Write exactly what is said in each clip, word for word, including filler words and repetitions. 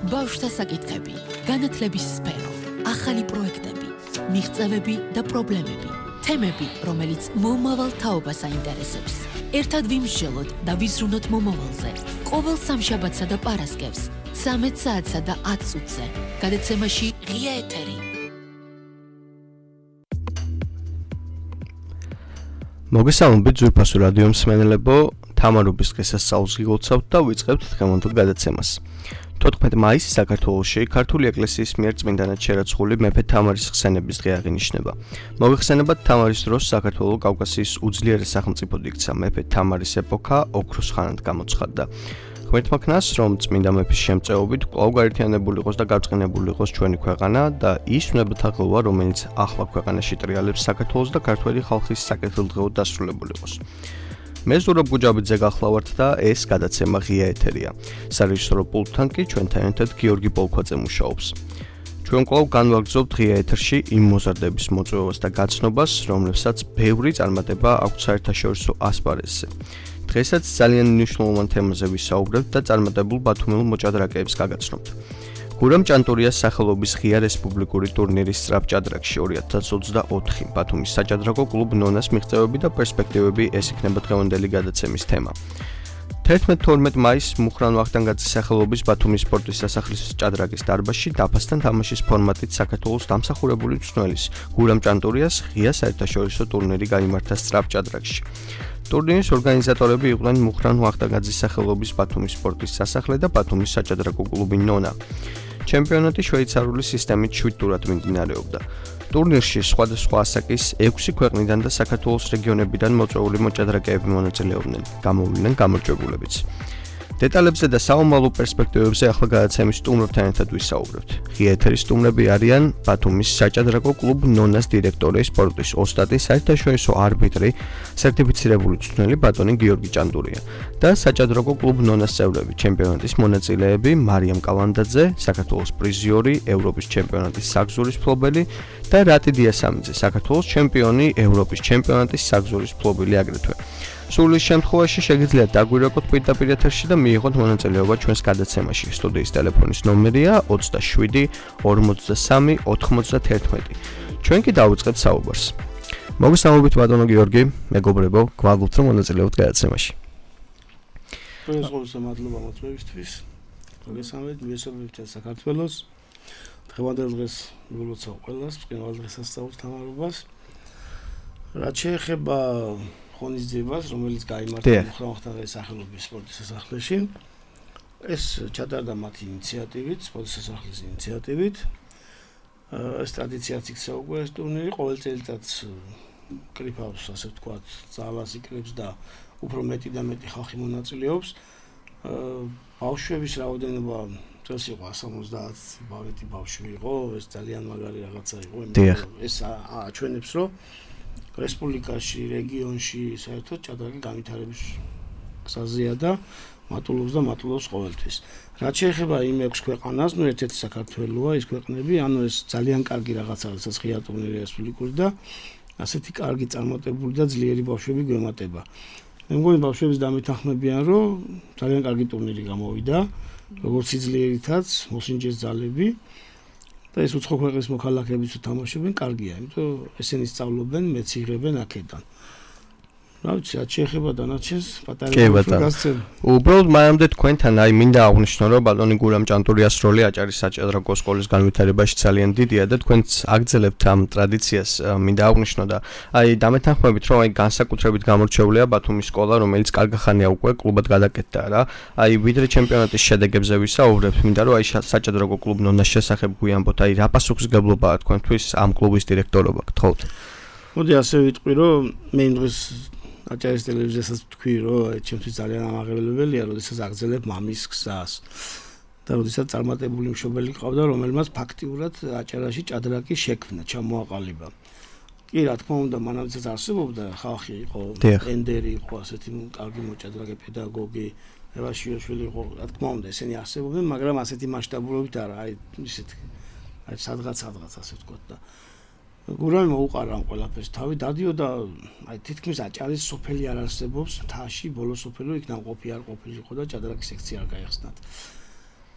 ბავშვთა საკითხები, განათლების სფერო, ახალი პროექტები, მიღწევები და პრობლემები, თემები, რომელიც მომავალ თაობას აინტერესებს. ერთად ვიმსჯელოთ და ვიზრუნოთ მომავალზე. ყოველ სამშაბათსა და პარასკევს, ცამეტ საათსა და ათ წუთზე. გადაცემაში ღია ეთერი. მოგესალმებით ძვირფასო რადიო მსმენელებო, თამარობის დღესასწაულს გილოცავთ და ვიწყებთ დღევანდელ გადაცემას. თოთხმეტი მაისი საქართველოში ქართული ეკლესიის მიერ წმინდანად შერაცხული მეფე თამარის ხსენების დღე აღინიშნება. მოგეხსენებათ, თამარის დროს საქართველოს კავკასიის უძლიერეს სახელმწიფოდ იქცა მეფე თამარის ეპოქა ოქროს ხანად გამოცხადდა. ღმერთმა ქნას, რომ წმინდა მეფის შემწეობით კვლავ გაერთიანებული იყოს და გაწყინებული იყოს ჩვენი ქვეყანა და ის უნებათა ღლვა, რომელიც ახლა ქვეყანაში ტრიალებს საქართველოს და ქართველი ხალხის საკეთილდღეოდ დასრულებული იყოს. მე ზურაბ გუჯაბიძე გახლავართ და ეს გადაცემა ღია ეთერია. სარეჟისორო პულტთან კი ჩვენთან ერთად გიორგი პოლქვაძე მუშაობს. ჩვენ კვლავ განვაგრძობთ ღია ეთერში იმ მოზარდების მოწვევას და გაცნობას, რომლებსაც ბევრი წარმატება აქვს საერთაშორისო ასპარეზზე. დღესაც ძალიან მნიშვნელოვან თემაზე ვისაუბრებთ და წარმატებულ ბათუმელ მოჭადრაკეებს გაგაცნობთ. გურამ ჭანტურიას სახელობის ღია რესპუბლიკური ტურნირის სწრაფჭადრაკში ორი ათას ოცდაოთხი ბათუმის საჭადრაკო კლუბ ნონას მიღწევები და პერსპექტივები ეს იქნება დღევანდელი გადაცემის თემა. თერთმეტ თორმეტ მაისს მუხრან ვახტანგაძის სახელობის ბათუმის სპორტის სასახლის ჭადრაკის დარბაზში დაფასთან თამაშის ფორმატით საქართველოს დამსახურებული მწვრთნელის გურამ ჭანტურიას ღია საერთაშორისო ტურნირი გაიმართა სწრაფჭადრაკში. ტურნირის ორგანიზატორები იყვნენ მუხრან ვახტანგაძის სახელობის ბათუმის სპორტის სასახლე და ბათუმის საჭადრაკო კლუბი ნონა. ჩემპიონატი შვეიცარიული სისტემით შვიდ ტურად მიმდინარეობდა. ტურნირში სხვადასხვა ასაკის ექვსი ქვეყნიდან და საქართველოს რეგიონებიდან მოწვეული მოჭადრაკეები მონაწილეობდნენ, გამოვიდნენ გამარჯვებულებიც. დეტალებზე და საომალო პერსპექტივებზე ახლა გადაცემის სტუმრებთან ერთად ვისაუბრებთ. ღია ეთერის სტუმრები არიან ბათუმის საჭადრაკო კლუბ ნონას დირექტორი, სპორტის ოსტატი, საერთაშორისო არბიტრი, სერტიფიცირებული მწვრთნელი ბატონი გიორგი ჭანდურია და საჭადრაკო კლუბ ნონას წევრები, ჩემპიონატის მონაწილეები მარიამ კალანდაძე, საქართველოს პრიზიორი, ევროპის ჩემპიონატის საგზურის მფლობელი და რატი დიასამიძე, საქართველოს ჩემპიონი, ევროპის ჩემპიონატის საგზურის მფლობელი აგრეთვე. სულ ის შემთხვევაში შეგიძლიათ დაგვირეკოთ პირდაპირ ეთერში და მიიღოთ მონაწილეობა ჩვენს გადაცემაში. სტუდიის ტელეფონის ნომერია ოცდაშვიდი ორმოცდასამი ოთხმოცდათერთმეტი. ჩვენ კი დავიწყებთ საუბარს. მოგესალმებით ბატონო გიორგი, მეგობრებო, გვალობთ რომ მონაწილეობთ გადაცემაში. ყველასთვის მადლობა მოწვევისთვის. მოგესალმებით, მივესალმებით საქართველოს. დღევანდელ დღეს ვილოცავ ყველას, მყინვარ დღესასწაულს თამარობას. რაც შეეხება ღონისძიებას, რომელიც გაიმართა მუხრან ვახტანგაძის სახელობის სპორტის სასახლეში. ეს ჩატარდა მათი ინიციატივით, სპორტის სასახლის ინიციატივით. ეს ტრადიციაც იქცა უკვე ეს ტურნირი, ყოველ წელიწადს კრიფავს, ასე ვთქვათ, ძალას იკრებს და უფრო მეტი და მეტი ხალხი მონაწილეობს. ბავშვების რაოდენობა წელს იყო სამოცდაათ ბავშვი ბავშვი იყო, ეს ძალიან მაგარი რაღაცა იყო, ეს აჩვენებს, რომ რესპუბლიკაში, რეგიონში საერთოდ ჭადრაკი განვითარების გზაზეა და მატულობს და მატულობს ყოველთვის. რაც შეეხება იმ ექვს ქვეყანას, ნუ ერთ-ერთი საქართველოა ის ქვეყნები, ანუ ეს ძალიან კარგი რაღაცა, რასაც ღია ტურნირი რესპუბლიკური და ასეთი კარგი წარმატებული და ძლიერი ბავშვები გვემატება. მე მგონი ბავშვების დამეთანხმებიან, რომ ძალიან კარგი ტურნირი გამოვიდა, როგორც სიძლიერითაც, მოსინჯეს ძალები. და ეს უცხო ქვეყნის მოქალაქეებიც თამაშობენ, კარგია, იმიტომ ესენი სწავლობენ, მეციღრებენ აქედან. რა ვიცი, რაც შეეხება დანარჩენს, პატარა გასცემ. უბრალოდ მანამდე თქვენთან აი მინდა აღვნიშნო, რომ ბატონი გურამ ჭანტურიას როლი აჭარის საჭადრაკო სკოლის განვითარებაში ძალიან დიდია და თქვენც აგრძელებთ ამ ტრადიციას, მინდა აღვნიშნო და აი დამეთანხმებით, რომ აი განსაკუთრებით გამორჩეულია ბათუმის სკოლა, რომელიც კარგი ხანია უკვე კლუბად გადაკეთდა რა. აი ვიდრე ჩემპიონატის შედეგებზე ვისაუბრებთ, მინდა რომ აი საჭადრაკო კლუბ ნონას შესახებ გვიამბოთ, აი რა პასუხისმგებლობაა თქვენთვის ამ კლუბის დირექტორობა, გთხოვთ. მოდი ასე ვიტყვი, რომ მე იმ დღეს აჭარის ტელევიზიასაც ვთქვი, რომ ჩემთვის ძალიან ამაღლებელია, როდესაც აგრძელებ მამის გზას. და როდესაც წარმატებული მშობელი ყავდა, რომელმაც ფაქტიურად აჭარაში ჭადრაკი შექმნა, ჩამოაყალიბა. კი, რა თქმა უნდა, მანამდეც არსებობდა, ხალხი იყო, ენდერი იყო, ასეთი კარგი მოჭადრაკე პედაგოგი, ევაშიაშვილი იყო, რა თქმა უნდა, ესენი არსებობდნენ, მაგრამ ასეთი მასშტაბურობით არა, აი ისეთ აი სადღაც სადღაც ასე ვთქვათ და გურამი მოუყარა ამ ყველაფერს თავი დადიოდა აი თითქმის აჭარის სოფელი არ არსებობს მთაში ბოლო სოფელი იქ ნამყოფი არ ყოფილიყო და ჭადრაკის სექცია არ გაიხსნათ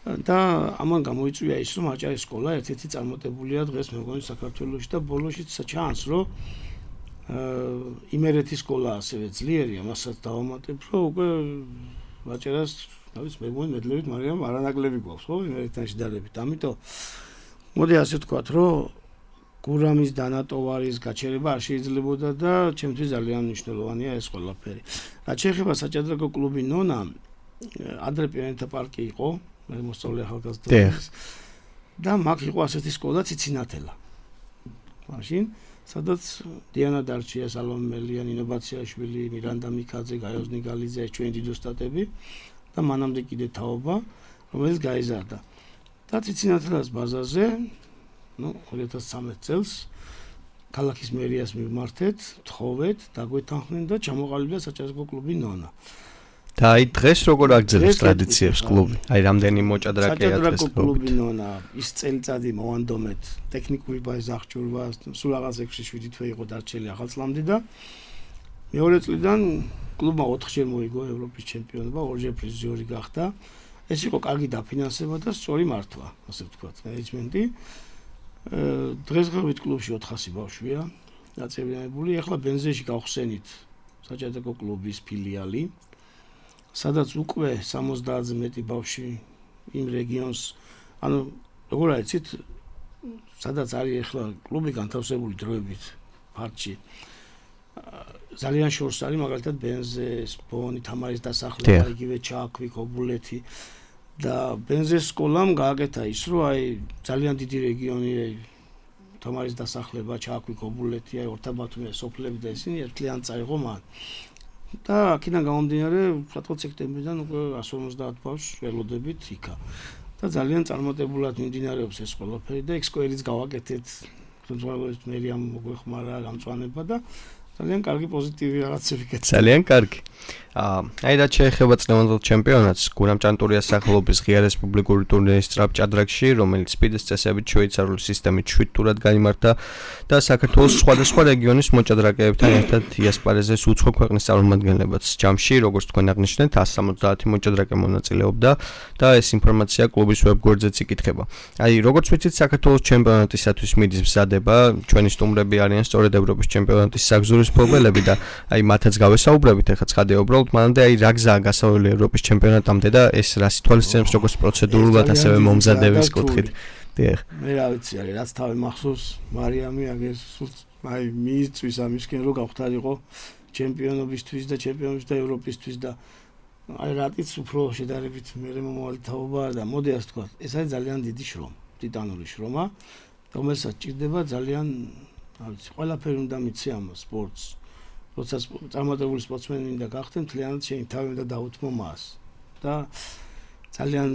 და ამან გამოიწვია ის, რომ აჭარის სკოლა ერთ-ერთი წარმატებულია დღეს მე მგონი საქართველოში და ბოლოშიც ჩანს, რომ იმერეთის სკოლა ასევე ძლიერია, მასაც დავამატებ, რომ უკვე აჭარას თავის მე მგონი მედლებით, მაგრამ არანაკლები გვაქვს, ხო, იმერეთთან შედარებით. ამიტომ მოდი ასე ვთქვათ, რომ გურამის დანატოვარის გაჩერება არ შეიძლებოდა და ჩემთვის ძალიან მნიშვნელოვანია ეს ყველაფერი. რაც შეეხება საჭადრაკო კლუბი ნონა, ადრე პიონერთა პარკი იყო, მე მოსწავლე ახალგაზრდობის და მაგ იყო ასეთი სკოლა ციცინათელა. მაშინ სადაც დიანა დარჩია, სალომე მელია, ნინო ბაციაშვილი, მირანდა მიქაძე, გაიოზ ნიგალიძე, ეს ჩვენი დიდო სტატები და მანამდე კიდე თაობა, რომელიც გაიზარდა. და ციცინათელას ბაზაზე, ну, ორი ათას ცხრამეტ წელს ქალაქის მერიას მიმართეთ, თხოვეთ, დაგვეთანხმდნენ და ჩამოყალიბდა საჭადრაკო კლუბი ნონა. და აი დღეს როგორ აგრძელებს ტრადიციებს კლუბი? აი რამდენი მოჭადრაკეა დღეს საჭადრაკო კლუბი ნონა ის წელიწადი მოვანდომეთ ტექნიკური ბაზის აღჭურვა, სულ რაღაც ექვსი შვიდი თვე იყო დარჩელი ახალწლამდე და მეორე წლიდან კლუბმა ოთხჯერ მოიგო ევროპის ჩემპიონობა, ორჯერ პრიზიორი გახდა. ეს იყო კარგი დაფინანსება და სწორი მართვა, ასე ვთქვათ, მენეჯმენტი. დღესდღეობით კლუბში ოთხასი ბავშვია დაწევრიანებული. ახლა ბენზეში გავხსენით საჭადრაკო კლუბის ფილიალი, სადაც უკვე სამოცდაათზე მეტი ბავშვი იმ რეგიონს, ანუ როგორ აიცით, სადაც არის ახლა კლუბი განთავსებული დროებით ფარჩი. ძალიან შორს არის მაგალითად ბენზე, ბონი, თამარის დასახლება, იგივე ჩაქვი, ქობულეთი და ბენზეს სკოლამ გააკეთა ის, რომ აი ძალიან დიდი რეგიონი, თამარის დასახლება, ჩაქვი, ქობულეთი, აი ორთაბათუმე სოფლები და ისინი ერთლიან წაიღო მან. და აქედან გამომდინარე, სათქოს სექტემბრიდან უკვე εκατს ორმოცდაათ ბავშვს ველოდებით იქა. და ძალიან წარმატებულად მიმდინარეობს ეს ყველაფერი და ექსკოერიც გავაკეთეთ. ხელმძღვანელობით მერიამ მოგვეხმარა გამწვანება და ძალიან კარგი პოზიტივი რაღაცები გეცა. ძალიან კარგი. აა, აი რა შეეხება წლევანდელ ჩემპიონატს, გურამ ჭანტურიას სახელობის ღია რესპუბლიკური ტურნირის სწრაფ ჭადრაკში, რომელიც სპიდის წესებით შვეიცარიული სისტემით შვიდ ტურად გაიმართა და საქართველოს სხვადასხვა რეგიონის მოჭადრაკეებთან ერთად იასპარეზეს უცხო ქვეყნის წარმომადგენლებაც. ჯამში, როგორც თქვენ აღნიშნეთ, εκατს სამოცდაათი მოჭადრაკე მონაწილეობდა და ეს ინფორმაცია კლუბის ვებგვერდზეც იკითხება. აი, როგორც ვიცით, საქართველოს ჩემპიონატისათვის მიდის მზადება, ჩვენი სტუმრები არიან სწორედ ევროპის ჩემპიონატის საგზურის მფლობელები და აი მათაც გავესაუბრებით, ეხლა ცხადია უბრალოდ მანამდე აი რა გზაა გასავალი ევროპის ჩემპიონატამდე და ეს რას ითვალისწინებს როგორც პროცედურულად ასევე მომზადების კუთხით. დიახ. მე რა ვიცი, აი რაც თავი მახსოვს, მარიამი აგერ სულ აი მიიწვის ამისკენ რომ გავხდარიყო ჩემპიონობისთვის და ჩემპიონობის და ევროპისთვის და აი რატიც უფრო შედარებით მე მომავალი თაობა და მოდი ასე ვთქვა, ეს არის ძალიან დიდი შრომა, ტიტანური შრომა, რომელსაც ჭირდება ძალიან რა ვიცი, ყველაფერი უნდა მიცი ამ სპორტს. როცა წარმატებული სპორტსმენი მინდა გახდე, მთლიანად შენი თავი უნდა დაუთმო მას. და ძალიან,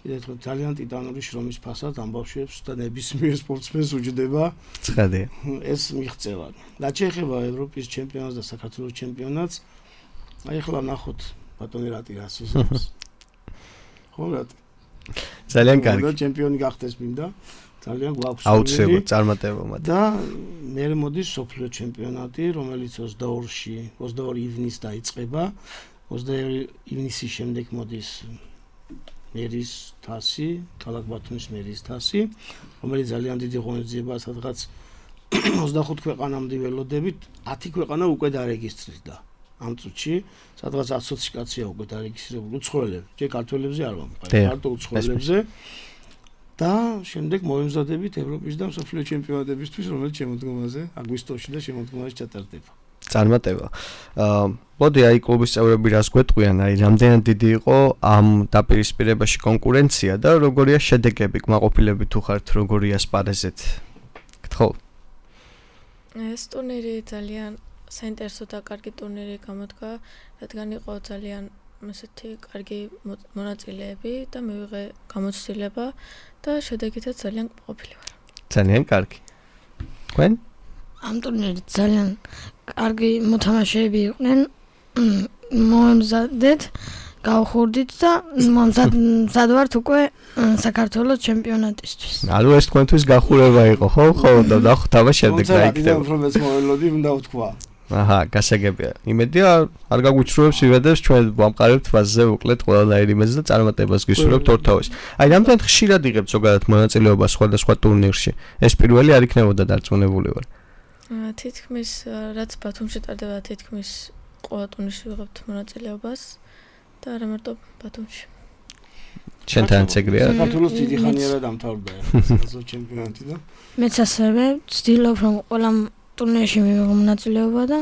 ვიდრე ძალიან ტიტანური შრომის ფასად ამ ბავშვებს და ნებისმიერ სპორტსმენს უჯდება. ცხადია. ეს მიღწევა. რაც შეეხება ევროპის ჩემპიონატს და საქართველოს ჩემპიონატს, აი ახლა ნახოთ ბატონი რატი რას ისმის. ხო რატი? ძალიან კარგი. და ჩემპიონი გახდეს მინდა. ძალიან გვაქვს აუცილებლად წარმატება მათ. და მე მოდის სოფლიო ჩემპიონატი, რომელიც ოცდაორში, ოცდაორი ივნისს დაიწყება. ოცდაორი ივნისის შემდეგ მოდის მერის თასი, ქალაქ ბათუმის მერის თასი, რომელიც ძალიან დიდი ღონისძიებაა, სადღაც ოცდახუთ ქვეყანამდე ველოდებით, ათი ქვეყანა უკვე დარეგისტრირდა. ამ წუთში, სადღაც ათი კაცია უკვე დარეგისტრირებული უცხოელები, ჯერ ქართველებზე არ ვამბობ, მარტო უცხოელებზე. და შემდეგ მოემზადებით ევროპის და მსოფლიო ჩემპიონატებისთვის, რომელიც შემოდგომაზე აგვისტოში და შემოდგომაზე ჩატარდება. წარმატება. აა, მოდი აი კლუბის წევრები რას გვეტყვიან, აი რამდენად დიდი იყო ამ დაპირისპირებაში კონკურენცია და როგორია შედეგები, კმაყოფილები თუ ხართ, როგორია სპარეზეთ? გთხოვ. ეს ტურნირი ძალიან საინტერესო და კარგი ტურნირი გამოდგა, რადგან იყო ძალიან ესეთი კარგი მონაწილეები და მივიღე გამოცდილება და შედეგითაც ძალიან ყოფილი ვარ. ძალიან კარგი. თქვენ? ამ ტურნირით ძალიან კარგი მოთამაშეები იყვნენ. მოემზადეთ, გავხურდით და მომზად ვართ უკვე საქართველოს ჩემპიონატისთვის. ანუ ეს თქვენთვის გახურება იყო, ხო? ხო, და ნახოთ აბა შემდეგ რა იქნება. რომ ეს მოველოდი უნდა ვთქვა. აჰა, გასაგებია. იმედია არ გაგვიჩრუებს ივედებს ჩვენ ვამყარებთ ფაზზე უკლეთ ყველანაირ იმედს და წარმატებას გისურვებთ ორთავის. აი, რამდენად ხშირად იღებთ ზოგადად მონაწილეობას სხვადასხვა ტურნირში? ეს პირველი არ იქნებოდა დარწმუნებული ვარ. თითქმის რაც ბათუმში ტარდება, თითქმის ყველა ტურნირში ვიღებთ მონაწილეობას და არა მარტო ბათუმში. ჩვენთანაც ეგრეა. საქართველოს დიდი ხანია დამთავრდა ეს ჩემპიონატი და მეც ასევე ვცდილობ რომ ყველა ტურნირში მივიღო მონაწილეობა და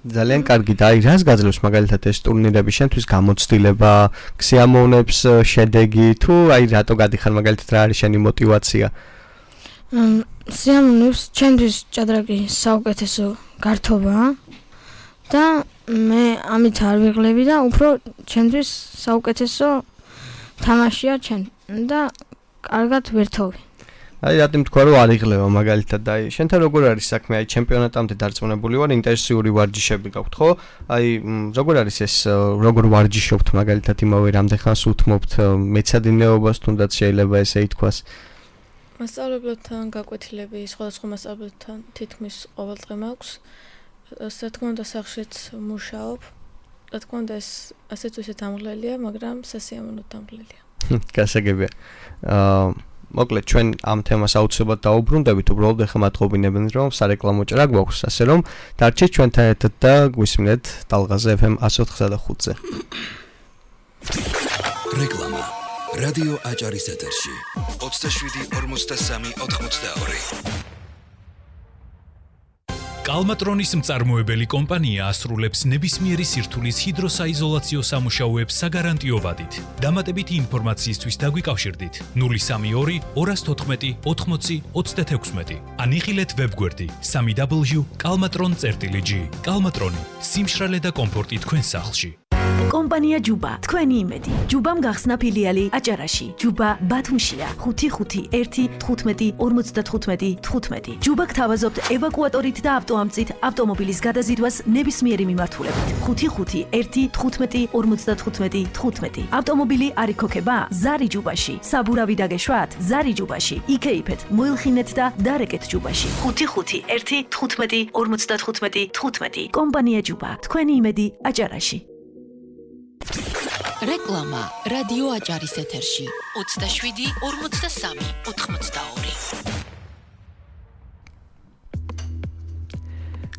ძალიან კარგი და აი რას გაძლევს მაგალითად ეს ტურნირები შენთვის გამოცდილება, ქსიამოვნებს შედეგი თუ აი რატო გადიხარ მაგალითად რა არის შენი мотиваცია? სიამოვნებს ჩემთვის ჭადრაკი საუკეთესო გართობაა და მე ამით არ ვიღლები და უფრო ჩემთვის საუკეთესო თამაშია ჩვენ და კარგად ვერთოვი. აი რატომ თქვა რომ არ იღლება მაგალითად აი შენთან როგორ არის საქმე აი ჩემპიონატამდე დარწმუნებული ვარ ინტენსიური ვარჯიშები გაქვთ ხო აი როგორ არის ეს როგორ ვარჯიშობთ მაგალითად იმავე რამდენხანს უთმობთ მეცადინეობას თუნდაც შეიძლება ესე ითქვას მასწავლებლებთან გაკვეთილები სხვადასხვა მასწავლებლებთან თითქმის ყოველ დღე მაქვს რა თქმა უნდა სახლშიც მუშაობ რა თქმა უნდა ეს ასეც ისე დამღლელია მაგრამ სასიამოვნოდ დამღლელია გასაგებია აა მოკლედ ჩვენ ამ თემას აუცილებლად დაუბრუნდებით, უბრალოდ ახლა მათყობინებენ რომ სარეკლამო ჭრა გვაქვს, ასე რომ დარჩეთ ჩვენთან ერთად და გვისმინეთ ტალღაზე ეფ ემ one oh four და ხუთზე. რეკლამა. რადიო აჭარის ეთერში. ოცდაშვიდი ორმოცდასამი ოთხმოცდაორი. კალმატრონის მწარმოებელი კომპანია ასრულებს ნებისმიერი სირთულის ჰიდროსაიზოლაციო სამუშაოებს საგარანტიო ვადით. დამატებითი ინფორმაციისთვის დაგვიკავშირდით null three two two fourteen eighty sixty-six ან იხილეთ ვებგვერდი three w kalmatron dot g. კალმატრონი, სიმშრალე და კომფორტი თქვენ სახლში. კომპანია ჯუბა, თქვენი იმედი. ჯუბამ გახსნა ფილიალი აჭარაში. ჯუბა ბათუმშია. ხუთი ხუთი ერთი თხუთმეტი ორმოცდათხუთმეტი თხუთმეტი. ჯუბა გთავაზობთ ევაკუატორით და ავტოამწით ავტომობილის გადაზიდვას ნებისმიერი მიმართულებით. ხუთი ხუთი ერთი თხუთმეტი ორმოცდათხუთმეტი თხუთმეტი. ავტომობილი არ იქოქება? ზარი ჯუბაში. საბურავი დაგეშვათ? ზარი ჯუბაში. იქეიფეთ, მოილხინეთ და დარეკეთ ჯუბაში. ხუთი ხუთი ერთი თხუთმეტი ორმოცდათხუთმეტი თხუთმეტი. კომპანია ჯუბა, თქვენი იმედი აჭარაში. რეკლამა რადიო აჭარის ეთერში ოცდაშვიდი ორმოცდასამი ოთხმოცდაორი.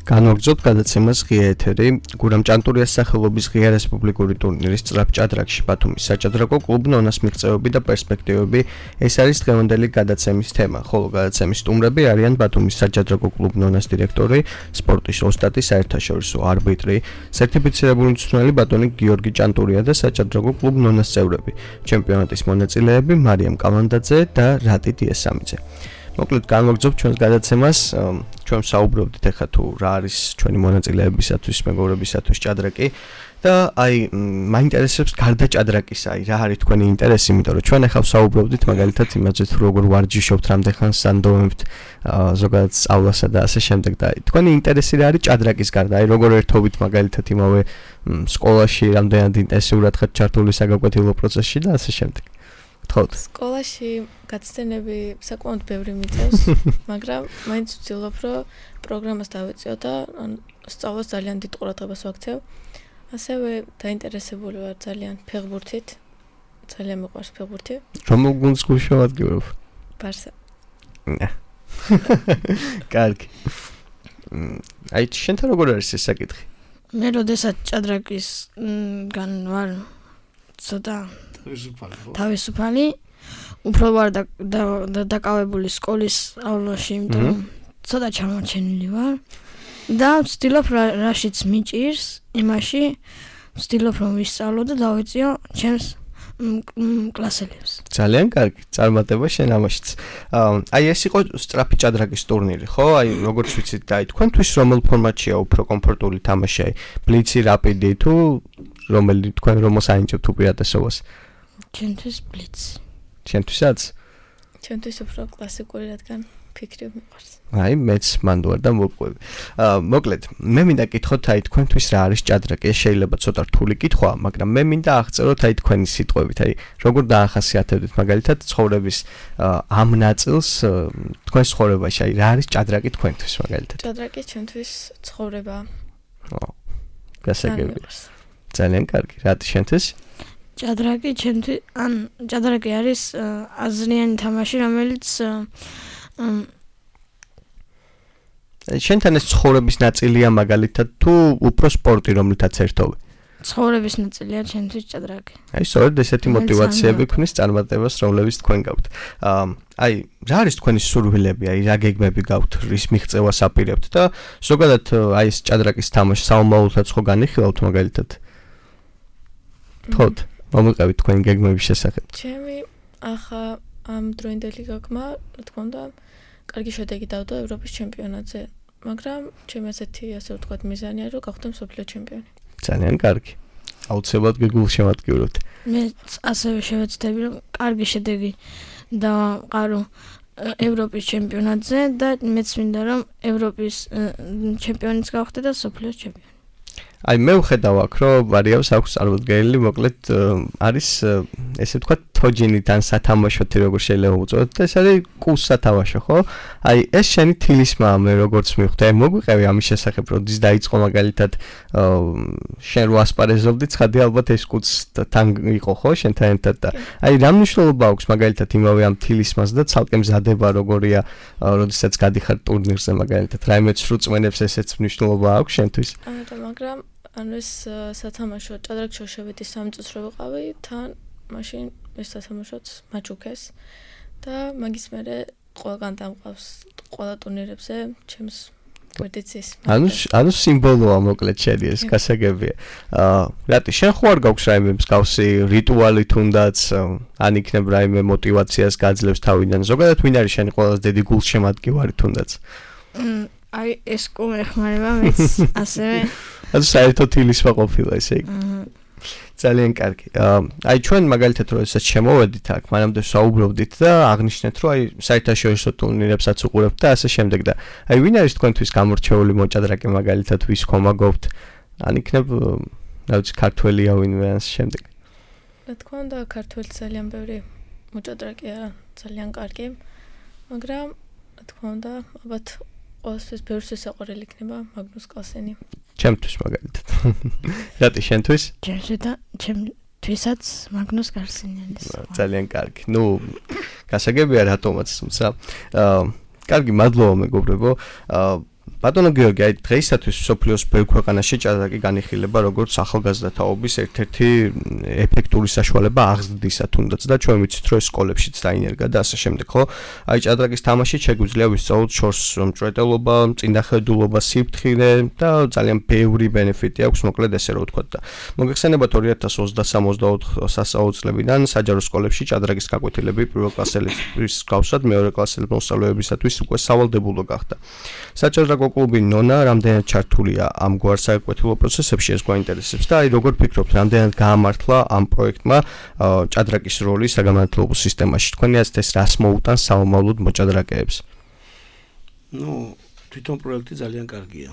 განვაგრძობთ გადაცემას ღია ეთერი გურამ ჭანტურიას სახელობის ღია რესპუბლიკური ტურნირის სწრაფ ჭადრაკში ბათუმის საჭადრაკო კლუბ ნონას მიღწევები და პერსპექტივები ეს არის დღევანდელი გადაცემის თემა ხოლო გადაცემის სტუმრები არიან ბათუმის საჭადრაკო კლუბ ნონას დირექტორი სპორტის ოსტატი საერთაშორისო არბიტრი სერტიფიცირებული მწვრთნელი ბატონი გიორგი ჭანტურია და საჭადრაკო კლუბ ნონას წევრები ჩემპიონატის მონაწილეები მარიამ კალანდაძე და რატი დიესამიძე მოკლედ განვაგრძობთ ჩვენს გადაცემას ჩვენ საუბრობდით ახლა თუ რა არის ჩვენი მონაწილეებისათვის მეგობრებისათვის ჭადრაკი და აი მაინტერესებს გარდა ჭადრაკისა აი რა არის თქვენი ინტერესი იმიტომ რომ ჩვენ ახლა საუბრობდით მაგალითად იმაზე თუ როგორ ვარჯიშობთ რამდენხანს სანდომებთ ზოგადად სწავლასა და ასე შემდეგ და აი თქვენი ინტერესი რა არის ჭადრაკის გარდა აი როგორ ერთობით მაგალითად იმავე სკოლაში რამდენად ინტენსიურად ხართ ჩართული საგაკვეთილო პროცესში და ასე შემდეგ თქოთ სკოლაში გაცდენები საკმაოდ ბევრი მიწევს მაგრამ მაინც ვცდილობ რომ პროგრამას დავეწიო და სწავლას ძალიან დიდ ყურადღებას ვაქცევ ასევე დაინტერესებული ვარ ძალიან ფეხბურთით ძალიან მიყვარს ფეხბურთი რომელ გუნდს გულშემატკივრობ ბარსა კარგი აი შენთან როგორ არის ეს საკითხი მე როდესაც ჭადრაკისგან ვარ ცოტა თავისუფალი უფრო ვარ დაკავებული სკოლის სწავლაში იმიტომ რომ ცოტა ჩამორჩენილი ვარ და ვცდილობ რაშიც მიჭირს იმაში ვცდილობ რომ ვისწავლო და დავეწიო ჩემს კლასელებს ძალიან კარგი წარმატება შენ ამაშიც აი ეს იყო სწრაფი ჭადრაკის ტურნირი ხო აი როგორც ვიცით და აი თქვენთვის რომელ ფორმატშია უფრო კომფორტული თამაში აი ბლიცი რაპიდი თუ რომელი თქვენ რომელს აინჭებთ უპირატესობას ჩემთვის ბლიცი ჩემთვისაც ჩემთვის უფრო კლასიკური რადგან ფიქრი მიყვარს. აი, მეც მანდ ვარ და მოვყვები. აა, მოკლედ, მე მინდა კითხოთ, აი, თქვენთვის რა არის ჭადრაკი? ეს შეიძლება ცოტა რთული კითხვაა, მაგრამ მე მინდა აღწეროთ აი თქვენი სიტყვებით, აი, როგორ დაახასიათებთ მაგალითად ცხოვრების ამ ნაწილს თქვენ ცხოვრებაში, აი, რა არის ჭადრაკი თქვენთვის მაგალითად? ჭადრაკი ჩვენთვის ცხოვრება. ო, გასაგებია. ძალიან კარგი, რატი შენთვის? ჭადრაკი ჩემთვის, ან ჭადრაკი არის აზრიანი თამაში, რომელიც შენთან ეს ცხოვრების ნაწილია მაგალითად თუ უფრო სპორტი რომლითაც ერთობ? ცხოვრების ნაწილია ჩემთვის ჭადრაკი. აი, სწორედ ესეთი мотиваციები ქმნის წარმატებას, რომლებიც თქვენ გაქვთ. აი, რა არის თქვენი სურვილები, აი, რა გეგმები გაქვთ, რის მიღწევას აპირებთ და ზოგადად აი ეს ჭადრაკის თამაში საომავლოთაც ხო განიხილავთ მაგალითად? თქოთ, მომიყევით თქვენი გეგმების შესახებ. ჩემი ახლა ამ დროინდელი გეგმა, რა თქმა უნდა, კარგი შედეგი დავდო ევროპის ჩემპიონატზე, მაგრამ ჩემი ასეთი, ასე ვთქვათ, მიზანია, რომ გავხდე მსოფლიო ჩემპიონი. ძალიან კარგი. აუცილებლად გეგულშემატკივრებთ. მე ასევე შევეცდები, რომ კარგი შედეგი დავამყარო ევროპის ჩემპიონატზე და მეც მინდა, რომ ევროპის ჩემპიონიც გავხდე და მსოფლიოს ჩემპიონი. აი, მე ვხედავ აქ, რომ ვარიავს აქვს წარმოდგენილი, მოკლედ არის ესე ვთქვათ, თოჯინიდან სათამაშოთი როგორ შეიძლება უწოდოთ და ეს არის კუს სათამაშო, ხო? აი, ეს შენი თილისმაა, მე როგორც მივხვდი, აი, მოგვიყევი ამის შესახებ, როდის დაიწყო მაგალითად შენ რო ასპარეზობდი, ცხადი ალბათ ეს კუს თან იყო, ხო, შენთან ერთად და აი, რა მნიშვნელობა აქვს მაგალითად იმავე ამ თილისმას და ცალკე მზადება როგორია, როდესაც გადიხარ ტურნირზე მაგალითად, რაიმე სრულწმენებს ესეც მნიშვნელობა აქვს შენთვის? ანუ მაგრამ ანუ ეს სათამაშო ჭადრაკში შევედი სამი წუთს რო ვიყავი, თან მაშინ ეს სათამაშოც მაჩუქეს და მაგის მერე ყველგან დამყავს ყველა ტურნირებზე ჩემს გვერდიცის. ანუ ანუ სიმბოლოა მოკლედ შენი ეს გასაგებია. აა რატი შენ ხო არ გაქვს რაიმე მსგავსი რიტუალი თუნდაც ან იქნებ რაიმე мотиваციას გაძლევს თავიდან. ზოგადად ვინ არის შენი ყველაზე დიდი გულშემატკივარი თუნდაც? აი ეს კუმ ეხმარება მეც ასევე ანუ საერთოდ თილისმა ყოფილა ესე იგი. ძალიან კარგი. აი ჩვენ მაგალითად როდესაც შემოვედით აქ, მანამდე საუბრობდით და აღნიშნეთ, რომ აი საერთაშორისო ტურნირებსაც უყურებთ და ასე შემდეგ და აი ვინ არის თქვენთვის გამორჩეული მოჭადრაკე მაგალითად ვის ხომაგობთ? ან იქნებ რა ვიცი ქართველია ვინმე ან შემდეგ. რა თქმა უნდა, ქართველი ძალიან ბევრი მოჭადრაკეა, ძალიან კარგი, მაგრამ რა თქმა უნდა, ალბათ ყოველთვის ბევრს ესაყრელი იქნება მაგნუს კალსენი. ჩემთვის მაგალითად. რატი შენთვის? ჩემთვის და ჩემთვისაც მაგნუს კალსენი არის. ძალიან კარგი. ნუ გასაგებია რატომაც, თუმცა აა კარგი, მადლობა მეგობრებო. აა ბატონო გიორგი, აი დღეისათვის სოფლიოს ბევრ ქვეყანაში ჭადრაკი განიხილება როგორც ახალგაზრდა თაობის ერთ-ერთი ეფექტური საშუალება აღზრდისა თუნდაც და ჩვენ ვიცით რომ სკოლებშიც დაინერგა და ასე შემდეგ, ხო? აი ჭადრაკის თამაში შეგვიძლია ვისწავლოთ შორს მჭრეტელობა, წინახედულობა, სიფრთხილე და ძალიან ბევრი ბენეფიტი აქვს, მოკლედ ესე რომ ვთქვათ და მოგეხსენებათ ორი ათას ოცდასამი ოცდაოთხ სასწავლო წლებიდან საჯარო სკოლებში ჭადრაკის გაკვეთილები პირველ კლასელის გავსად მეორე კლასელის მოსწავლეებისათვის უკვე სავალდებულო გახდა. საჭადრაკო კლუბი ნონა რამდენად ჩართულია ამგვარ საკვეთილო პროცესებში ეს გვაინტერესებს და აი როგორ ფიქრობთ რამდენად გაამართლა ამ პროექტმა ჭადრაკის როლი საგანმანათლებლო სისტემაში თქვენი აზრით ეს რას მოუტანს საომავლოდ მოჭადრაკეებს? ნუ თვითონ პროექტი ძალიან კარგია.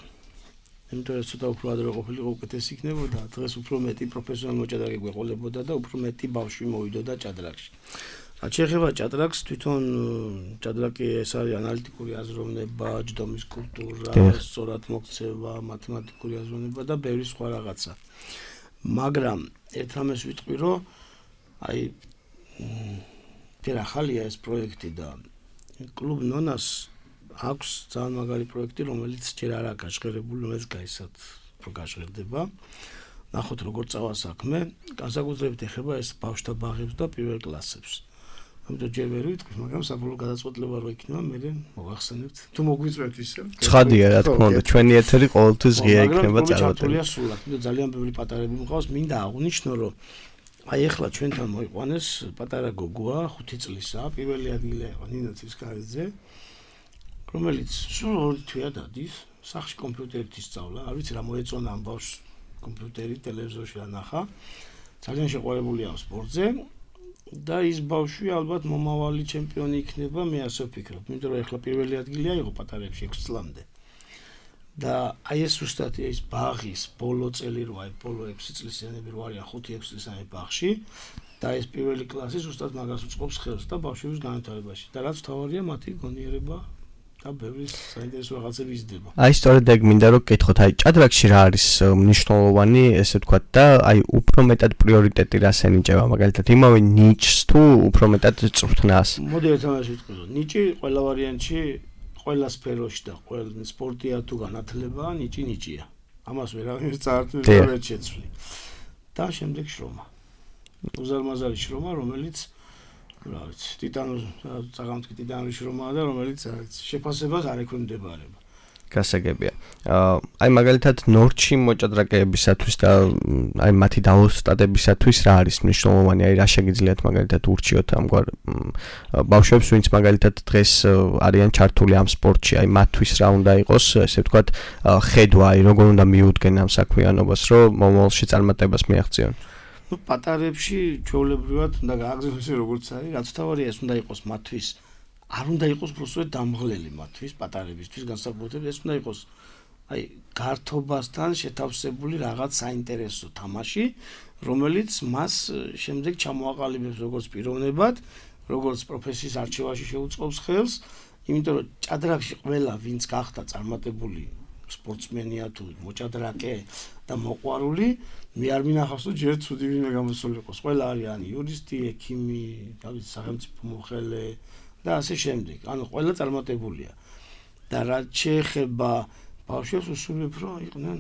იმიტომ რომ ცოტა უფრო ადრე ყოფილიყო უკეთესი იქნებოდა, დღეს უფრო მეტი პროფესიონალი მოჭადრაკე გვეყოლებოდა და უფრო მეტი ბავშვი მოვიდოდა ჭადრაკში. რაც შეეხება ჭადრაკს, თვითონ ჭადრაკი ეს არის ანალიტიკური აზროვნება, ჯდომის კულტურა, სწორად მოქცევა, მათემატიკური აზროვნება და ბევრი სხვა რაღაცა. მაგრამ ერთ რამეს ვიტყვი, რომ აი თერა ხალია ეს პროექტი და კლუბ ნონას აქვს ძალიან მაგარი პროექტი, რომელიც ჯერ არ აქვს გაჟღერებული, რომელიც გაიცათ უფრო გაჟღერდება. ნახოთ როგორ წავა საქმე, განსაკუთრებით ეხება ეს ბავშვთა ბაღებს და პირველ კლასებს. ამიტომ ჯერ ვერ ვიტყვი, მაგრამ საბოლოო გადაწყვეტილება რო იქნება, მე მოგახსენებთ. თუ მოგვიწევთ ისე. ცხადია, რა თქმა უნდა, ჩვენი ეთერი ყოველთვის ღია იქნება წარმატებული. ძალიან ბევრი პატარები მყავს, მინდა აღვნიშნო, რომ აი ეხლა ჩვენთან მოიყვანეს პატარა გოგოა, ხუთი წლისა, პირველი ადგილი აიღო ნინა ცისკარიძე, რომელიც სულ ორი თვეა დადის, სახლში კომპიუტერით ისწავლა, არ ვიცი რა მოეწონა ამ ბავშვს კომპიუტერი, ტელევიზორში რა ნახა. ძალიან შეყვარებულია სპორტზე. და ის ბავშვი ალბათ მომავალი ჩემპიონი იქნება, მე ასე ვფიქრობ, იმიტომ რომ ეხლა პირველი ადგილი აიღო პატარებში ექვსი წლამდე. და აი ეს ზუსტად ის ბაღის ბოლო წელი რო აი ბოლო ექვსი წლისიანები რო არიან ხუთი ექვსი წლისიანი ბაღში და ეს პირველი კლასი ზუსტად მაგას უწყობს ხელს და ბავშვების განვითარებაში და რაც თავარია მათი გონიერება და ბევრი საინტერესო რაღაცები იზრდება. აი სწორედ ეგ მინდა რომ გითხოთ, აი ჭადრაკში რა არის მნიშვნელოვანი, ესე ვთქვათ და აი უფრო მეტად პრიორიტეტი რას ენიჭება, მაგალითად იმავე ნიჭს თუ უფრო მეტად წვრთნას. მოდი ერთმანეთს ვიტყვირო, ნიჭი ყველა ვარიანტში ყველა სფეროში და ყველა სპორტია თუ განათლება, ნიჭი ნიჭია. ამას ვერავინ წაართვებს და ვერ შეცვლი. და შემდეგ შრომა. უზარმაზარი შრომა, რომელიც რა ვიცი, ტიტანოს წაღამთქი ტიტანის შრომაა და რომელიც არის შეფასებას არ ექვემდებარება. გასაგებია. აი მაგალითად ნორჩი მოჭადრაკეებისათვის და აი მათი დაოსტატებისათვის რა არის მნიშვნელოვანი, აი რა შეგიძლიათ მაგალითად ურჩიოთ ამგვარ ბავშვებს, ვინც მაგალითად დღეს არიან ჩართული ამ სპორტში, აი მათთვის რა უნდა იყოს, ესე ვთქვათ, ხედვა, აი როგორ უნდა მიუდგენ ამ საქმიანობას, რომ მომავალში წარმატებას მიაღწიონ. ნუ პატარებში ჩვეულებრივად უნდა გააგრძელოს როგორც არის, რაც თავარია ეს უნდა იყოს მათთვის არ უნდა იყოს უბრალოდ დამღლელი მათთვის პატარებისთვის განსაკუთრებით ეს უნდა იყოს აი გართობასთან შეთავსებული რაღაც საინტერესო თამაში, რომელიც მას შემდეგ ჩამოაყალიბებს როგორც პიროვნებად, როგორც პროფესიის არჩევაში შეუწყობს ხელს, იმიტომ რომ ჭადრაკში ყველა ვინც გახდა წარმატებული სპორტსმენია თუ მოჭადრაკე და მოყვარული, მე არ მინახავს რომ ჯერ ცუდი ვინმე გამოსულიყოს. ყველა არიან იურისტი, ექიმი, თავის სახელმწიფო მოხელე და ასე შემდეგ. ანუ ყველა წარმატებულია. და რაც შეეხება ბავშვებს, უსურვებ რომ იყვნენ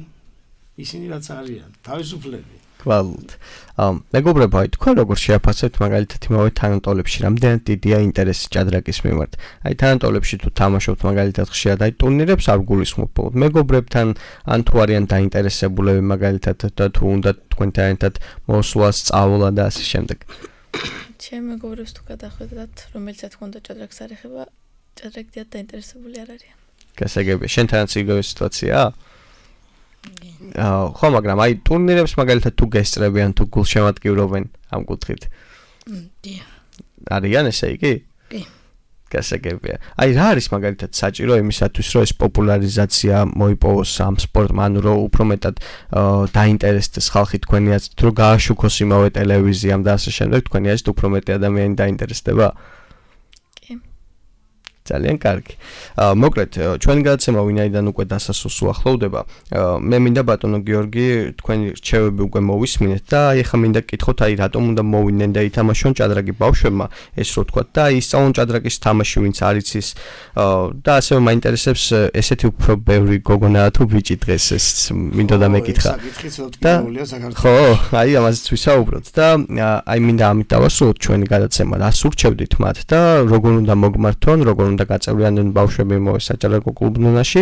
ისინი რაც არიან, თავისუფლები. გვალთ. ამ მეგობრებო, აი თქვენ როგორ შეაფასებთ მაგალითად იმავე თანატოლებში, რამდენად დიდია ინტერესი ჭადრაკის მიმართ? აი თანატოლებში თუ თამაშობთ მაგალითად ხშირად აი ტურნირებს არ გულისხმობთ მეგობრებთან, ან თუ არიან დაინტერესებულები მაგალითად და თუ უნდა თქვენთან ერთად მოსვლა, სწავლა და ასე შემდეგ. ჩემ მეგობრებს თუ გადახვედრათ, რომელიცაც თქონდა ჭადრაკს არ ეხება, ჭადრაკით დაინტერესებული არ არიან. გასაგებია, შენთანაც იგივე სიტუაციაა? აა, ხო, მაგრამ აი ტურნირებს მაგალითად თუ გესწრებიან თუ გულშემატკივრობენ ამ კუთხით? დიახ. არიან ესე იგი? კი. გასაგებია. აი რა არის მაგალითად საჭირო იმისათვის, რომ ეს პოპულარიზაცია მოიპოვოს ამ სპორტმა, ანუ რომ უფრო მეტად დაინტერესდეს ხალხი თქვენი აზრით, რომ გააშუქოს იმავე ტელევიზიამ და ასე შემდეგ, თქვენი აზრით უფრო მეტი ადამიანი დაინტერესდება? ძალიან კარგი. აა მოკლედ ჩვენი გადაცემა ვინაიდან უკვე დასასრულს უახლოვდება. მე მინდა ბატონო გიორგი თქვენი რჩევები უკვე მოვისმინეთ და აი ახლა მინდა გკითხოთ აი რატომ უნდა მოვიდნენ და ითამაშონ ჭადრაკი ბავშვებმა ეს რო თქვა და აი ისწავლონ ჭადრაკის თამაში ვინც არ იცის და ასევე მაინტერესებს ესეთი უფრო ბევრი გოგონა თუ ბიჭი დღეს ეს მინდოდა მეკითხა. ხო, აი ამაზეც ვისაუბროთ და აი მინდა ამით დავასრულოთ ჩვენი გადაცემა. რას ურჩევდით მათ და როგორ უნდა მოგმართონ, როგორ უნდა გაწევრიანდნენ ბავშვები მოე საჭადრაკო კლუბნობაში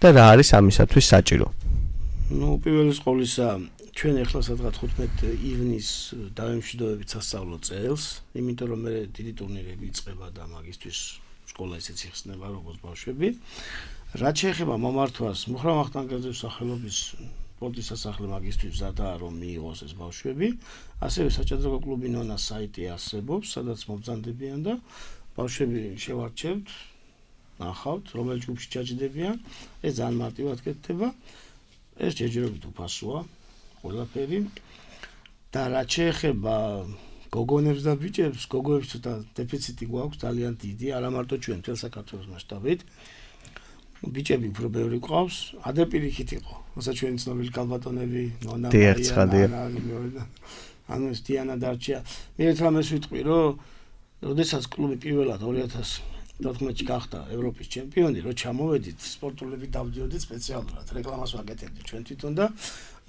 და რა არის ამისათვის საჭირო? ნუ პირველი ყოვლისა ჩვენ ახლა სადღაც ხუთმეტი ივნის დავემშვიდობებით სასწავლო წელს, იმიტომ რომ მე დიდი ტურნირები იწყება და მაგისტრის სკოლა ისეც იხსნება როგორც ბავშვები. რაც შეეხება მომართვას, მუხრან ვახტანგელძის სახელობის სპორტის სასახლე მაგისტრის ზადაა რომ მიიღოს ეს ბავშვები, ასევე საჭადრაკო კლუბი ნონას საიტი არსებობს, სადაც მობრძანდებიან და ბავშვები შევარჩევთ, ნახავთ, რომელ ჯგუფში ჩაჯდებიან, ეს ძალიან მარტივად კეთდება. ეს ჯერჯერობით უფასოა, ყველაფერი. და რაც შეეხება გოგონებს და ბიჭებს, გოგოებს ცოტა დეფიციტი გვაქვს ძალიან დიდი, არა მარტო ჩვენ, მთელ საქართველოს მასშტაბით. ბიჭები უფრო ბევრი გვყავს, ადაპირიქით იყო. როცა ჩვენი ცნობილი ქალბატონები, ნონა მარია, ანუ ეს დიანა დარჩია. მე ერთ რამეს ვიტყვი, რომ როდესაც კლუბი პირველად ორი ათას თოთხმეტში გახდა ევროპის ჩემპიონი, რო ჩამოვედით, სპორტულები დავდიოდით სპეციალურად, რეკლამას ვაკეთებდით ჩვენ თვითონ და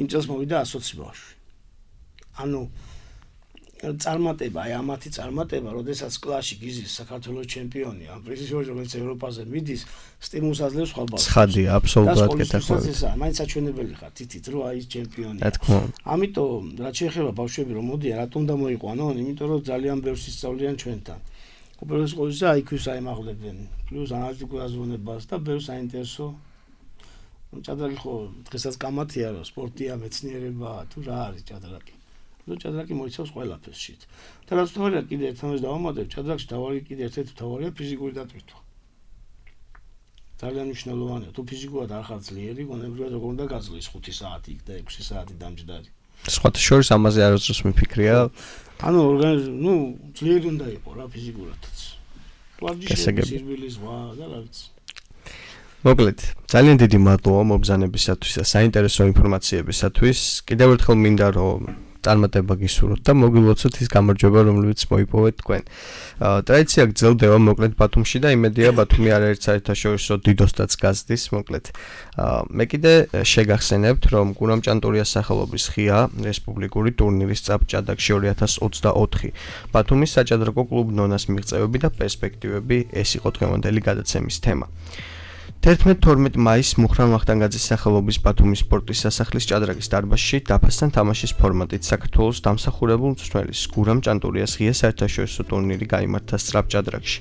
იმ წელს მოვიდა ასოცი ბავშვი. ანუ წარმატება, აი ამათი წარმატება, როდესაც კლასში გიზის საქართველოს ჩემპიონი, ამ პრიზიჟორი რომელიც ევროპაზე მიდის, სტიმულს აძლევს სხვა ბავშვებს. ცხადია, აბსოლუტურად კეთახმებით. მაინც საჩვენებელი ხარ, თითით რო აი ეს ჩემპიონია. ამიტომ რაც შეეხება ბავშვები რომ მოდიან, რატომ უნდა მოიყვანონ? იმიტომ რომ ძალიან ბევრს ისწავლიან ჩვენთან. უპირველეს ყოვლისა აი ქიუს აიმაღლებენ, პლუს ანალიტიკურ აზროვნებას და ბევრ საინტერესო. ჭადრაკი ხო დღესაც კამათია, რომ სპორტია, მეცნიერებაა, თუ რა არის ჭადრაკი. და ჭადრაკი მოიცავს ყველაფერს შით. და რაც თორია კიდე ერთმანეთს დავამატებ, ჭადრაკში თავი კიდე ერთ-ერთი თავია ფიზიკური დატვირთვა. ძალიან მნიშვნელოვანია, თუ ფიზიკურად არ ხარ ძლიერი, გონებრივად როგორ უნდა გაძლოს ხუთი საათი იქ და ექვსი საათი დამჯდარი. სხვათა შორის ამაზე არასდროს მიფიქრია. ანუ ორგანიზმი, ნუ ძლიერი უნდა იყოს რა ფიზიკურადაც. ვარჯიშები, სირბილი ზღვა და რა ვიცი. მოკლედ, ძალიან დიდი მადლობა მობრძანებისათვის და საინტერესო ინფორმაციებისათვის. კიდევ ერთხელ მინდა რომ წარმატება გისურვოთ და მოგილოცოთ ის გამარჯვება, რომლებიც მოიპოვეთ თქვენ. ტრადიცია გრძელდება მოკლედ ბათუმში და იმედია ბათუმი არაერთ საერთაშორისო დიდოსტაც გაზდის მოკლედ. მე კიდე შეგახსენებთ, რომ გურამ ჭანტურიას სახელობის ღია რესპუბლიკური ტურნირის წაბჭადაგში ორი ათას ოცდაოთხი ბათუმის საჭადრაკო კლუბ ნონას მიღწევები და პერსპექტივები ეს იყო დღევანდელი გადაცემის თემა. თერთმეტ-თორმეტ მაისს მუხრან ვახტანგაძის სახელობის ბათუმის სპორტის სასახლის ჭადრაკის დარბაზში დაფასთან თამაშის ფორმატით საქართველოს დამსახურებულ მწვრთნელის გურამ ჭანტურიას ღია საერთაშორისო ტურნირი გაიმართა სწრაფ ჭადრაკში.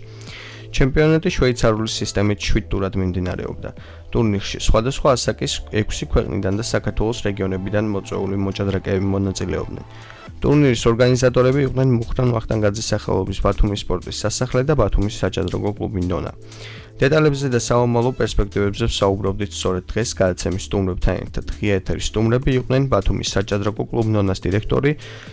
ჩემპიონატი შვეიცარიული სისტემით შვიდ ტურად მიმდინარეობდა. ტურნირში სხვადასხვა ასაკის ექვსი ქვეყნიდან და საქართველოს რეგიონებიდან მოწვეული მოჭადრაკეები მონაწილეობდნენ. ტურნირის ორგანიზატორები იყვნენ მუხრან ვახტანგაძის სახელობის ბათუმის სპორტის სასახლე და ბათუმის საჭადრაკო კლუბი ნონა. დეტალებზე და საომალო პერსპექტივებზე ვსაუბრობდით სწორედ დღეს გადაცემის სტუმრებთან ერთად. ღია ეთერის სტუმრები იყვნენ ბათუმის საჭადრაკო კლუბ ნონას დირექტორი,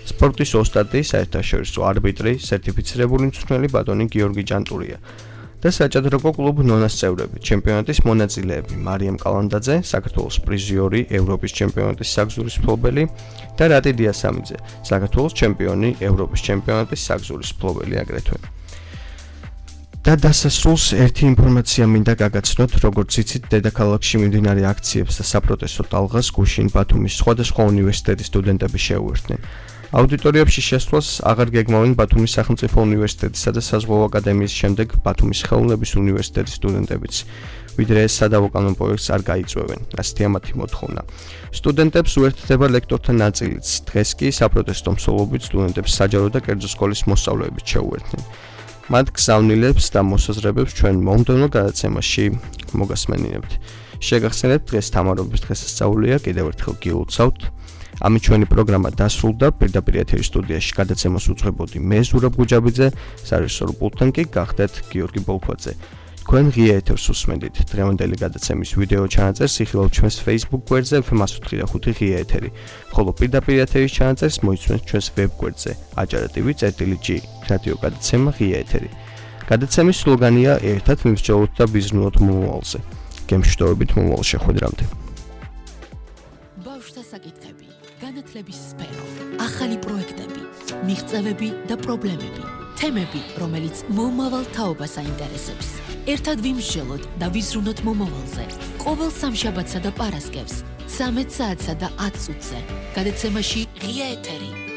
სპორტის ოსტატი, საერთაშორისო არბიტრი, სერტიფიცირებული მწვრთნელი ბატონი გიორგი ჭანტურია და საჭადრაკო კლუბ ნონას წევრები, ჩემპიონატის მონაწილეები მარიამ კალანდაძე, საქართველოს პრიზიორი, ევროპის ჩემპიონატის საგზურის მფლობელი და რატი დიასამიძე, საქართველოს ჩემპიონი, ევროპის ჩემპიონატის საგზურის მფლობელი აგრეთვე. და დასასრულს ერთი ინფორმაცია მინდა გაგაცნოთ, როგორც იცით, დედაქალაქში მიმდინარე აქციებს და საპროტესტო ტალღას გუშინ ბათუმის სხვადასხვა უნივერსიტეტის სტუდენტები შეუერთდნენ. აუდიტორიებში შესვლას აღარ გეგმავენ ბათუმის სახელმწიფო უნივერსიტეტისა და საზღვაო აკადემიის შემდეგ ბათუმის ხელოვნების უნივერსიტეტის სტუდენტებიც, ვიდრე ეს სადავო კანონ პროექტს არ გაიწვევენ, ასეთია მათი მოთხოვნა. სტუდენტებს უერთდება ლექტორთა ნაწილიც, დღეს კი საპროტესტო მსვლელობით სტუდენტებს საჯარო და კერძო სკოლის მოსწავლეებით შეუერთდნენ. მათ გზავნილებს და მოსაზრებებს ჩვენ მომდევნო გადაცემაში მოგასმენინებთ. შეგახსენებთ, დღეს თამარობის დღესასწაულია, კიდევ ერთხელ გილოცავთ. ამით ჩვენი პროგრამა დასრულდა, პირდაპირ ეთერის სტუდიაში გადაცემას უძღვებოდი მე ზურაბ გუჯაბიძე, სარეჟისორო პულტთან კი გახდეთ გიორგი ბოლქვაძე. თქვენ ღია ეთერს უსმენდით. დღევანდელი გადაცემის ვიდეო ჩანაწერს იხილავთ ჩვენს Facebook გვერდზე ეფ ემ εκατო ოთხი და ხუთი ღია ეთერი, ხოლო პირდაპირ ეთერის ჩანაწერს მოიცვენთ ჩვენს ვებ გვერდზე ajarativi.gi რადიო გადაცემა ღია ეთერი. გადაცემის სლოგანია ერთად მივსჯელოთ და ვიზრუნოთ მომავალზე. გემშვიდობებით მომავალ შეხვედრამდე. ბავშვთა საკითხები, განათლების სფერო, ახალი პროექტები, მიღწევები და პრობლემები, თემები, რომელიც მომავალ თაობას აინტერესებს. ერთად ვიმსჯელოთ და ვიზრუნოთ მომავალზე. ყოველ სამშაბათსა და პარასკევს, ცამეტ საათსა და ათ წუთზე. გადაცემაში ღია ეთერი.